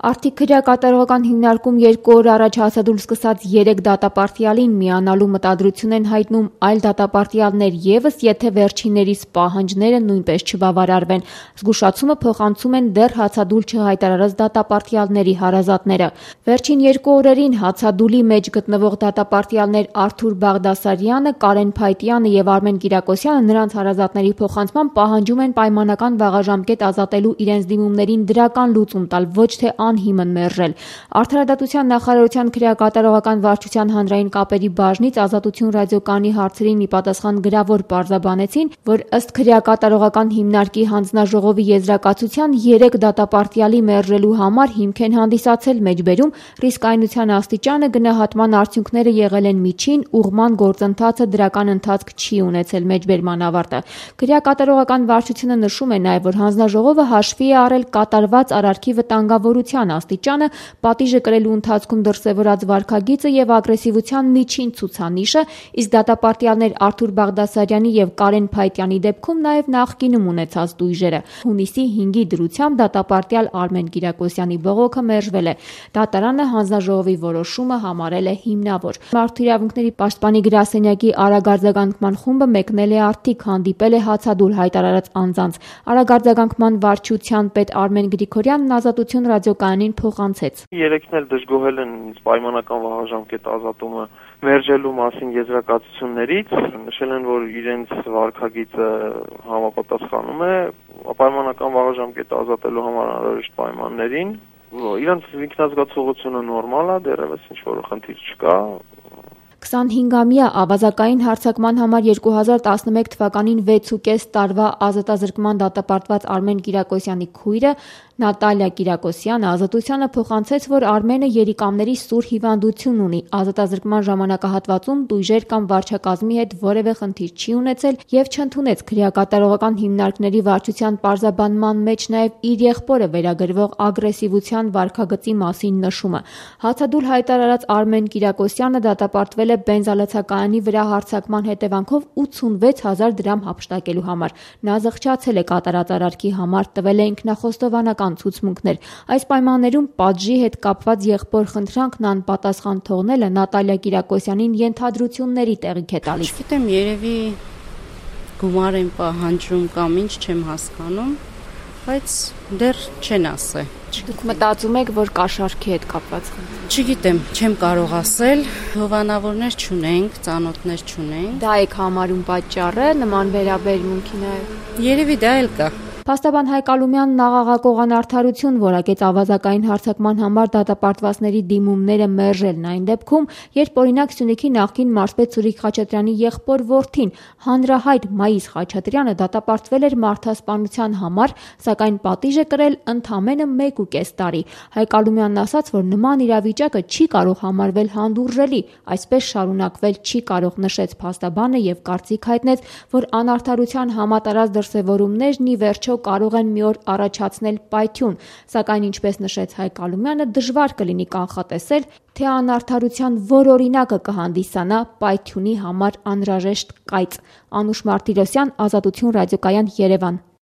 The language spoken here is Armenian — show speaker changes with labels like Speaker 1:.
Speaker 1: Արդի քրեակատարողական հիմնարկում 2 օր առաջ հացադուլ սկսած 3 դատապարտյալին միանալու մտադրություն են հայտնում այլ դատապարտյալներ եւս, եթե վերջիններիս պահանջները նույնպես չբավարարվեն։ Զգուշացումը փոխանցում են դեռ հացադուլ չհայտարարած դատապարտյալների հարազատները։ Վերջին 2 օրերին հացադուլի մեջ գտնվող դատապարտյալներ Արթուր Բաղդասարյանը, Կարեն Փայտյանը եւ Արմեն Կիրակոսյանը նրանց հարազատների փոխանցմամբ պահանջում են պայմանական վաղաժամկետ ազատելու իրենց դիմումներին դրական լուծում տալ, ոչ թե անհիմն մերժել։ Արդարադատության նախարարության քրեակատարողական վարչության հանրային կապերի բաժնից Ազատություն ռադիոկայանի հարցերին ի պատասխան գրավոր պարզաբանեցին, որ ըստ քրեակատարողական հիմնարկի հանձնաժողովի եզրակացության 3 դատապարտյալի մերժելու համար հիմք են հանդիսացել մեջբերում, ռիսկայնության աստիճանը, գնահատման արդյունքները եղել են միջին, ուղղման գործընթացը դրական ընթացք չի ունեցել մեջբերման ավարտը։ Քրեակատարողական վարչությունը նշում է նաև, որ հանձնաժողովը հաշվի է առել կատարված արարքի վտանգավորության աստիճանը, պատիժը կրելու ընթացքում դրսևորած վարքագիծը եւ ագրեսիվության միջին ցուցանիշը, իսկ դատապարտյալներ Արթուր Բաղդասարյանի եւ Կարեն Փայտյանի դեպքում նաեւ նախկինում ունեցած տույժերը։ Հունիսի 5-ի դրությամբ դատապարտյալ Արմեն Կիրակոսյանի բողոքը մերժվել է։ Դատարանը հանձնաժողովի որոշումը համարել է հիմնավոր։ Մարդու իրավունքների պաշտպանի գրասենյակի արագարձագանքման խումբը մեկնել է Արթիկ, հանդիպել է հացադուլ հայտարարած անձանց։ Արագարձագանքման վարչության պետ Արմեն Գրիգորյանն Ազատություն ռադիոկայանին փոխանցեց։
Speaker 2: Երեքն էլ դժգոհել են պայմանական վաղաժամկետ ազատումը մերժելու մասին եզրակացություններից, նշել են, որ իրենց վարքագիծը համապատասխանում է պայմանական վաղաժամկետ ազատելու համար անհրաժեշտ պայմաններին։ Իրենց ինքնազգացողությունը նորմալ է, դեռևս ինչ-որ խնդիր չկա։
Speaker 1: 25-ամյա ավազակային հարձակման համար 2011 թվականին 6.5 տարվա ազատազրկման դատապարտված Արմեն Կիրակոսյանի քույրը Նատալիա Կիրակոսյանը Ազատությանը փոխանցեց, որ Արմենը երիկամների սուր հիվանդություն ունի, ազատազրկման ժամանակահատվածում տույժեր կամ վարչակազմի հետ որևէ խնդիր չի ունեցել եւ չընդունեց քրեակատարողական հիմնարկների վարչության պարզաբանման մեջ նաեւ իր եղբորը վերագրվող ագրեսիվության վարքագծի մասին նշումը։ Հացադուլ հայտարարած Արմեն Կիրակոսյանը դատապարտվել է բենզալացակայանի վրա հարձակման հետևանքով 86,000 դրամ հափշտակելու համար։ Նա զղջացել է կատարած արարքի համար, տվել է ինքնախոստովանական ցուցմունքներ։ Այս պայմաններում պատժի հետ կապված եղբոր խնդրանքն անպատասխան թողնելը Նատալիա Կիրակոսյանին ենթադրությունների տեղիք է տալիս։
Speaker 3: Չգիտեմ, երևի գումար են պահանջում կամ ինչ, չեմ հասկանում, բայց դեռ չեն ասել։
Speaker 1: Դուք մտածում եք, որ կաշառքի հետ կապված խնդիր։
Speaker 3: Չգիտեմ, չեմ կարող ասել, հովանավորներ չունենք, ծանոթներ չունենք։
Speaker 1: Դա եք համարում պատճառը նման վերաբերմունքի նաև։
Speaker 3: Երևի դա էլ կա։
Speaker 1: Փաստաբան Հայկ Ալումյանն աղաղակող անարդարություն որակեց ավազակային հարձակման համար դատապարտվածների դիմումները մերժելն այն դեպքում, երբ օրինակ Սյունիքի նախկին մարզպետ Սուրիկ Խաչատրյանի եղբոր որդին, հանրահայտ Մայիս Խաչատրյանը դատապարտվել էր մարդասպանության համար, սակայն պատիժ է կրել ընդամենը 1.5 տարի։ Հայկ Ալումյանն ասաց, որ նման իրավիճակը չի կարող համարվել հանդուրժելի, այսպես շարունակվել չի կարող, նշեց փաստաբանը եւ կարծիք հայտնեց, որ անարդարության համատարած դրսևորումներն ի վերջո կարող են մի օր առաջացնել պայթյուն, սակայն ինչպես նշեց Հայկ Ալումյանը, դժվար կլինի կանխատեսել, թե անարդարության որ օրինակը կհանդիսանա պայթյունի համար անհրաժեշտ կայծ։ Անուշ Մարտիրոսյան, Ազատություն ռադիոկայան, Երևան։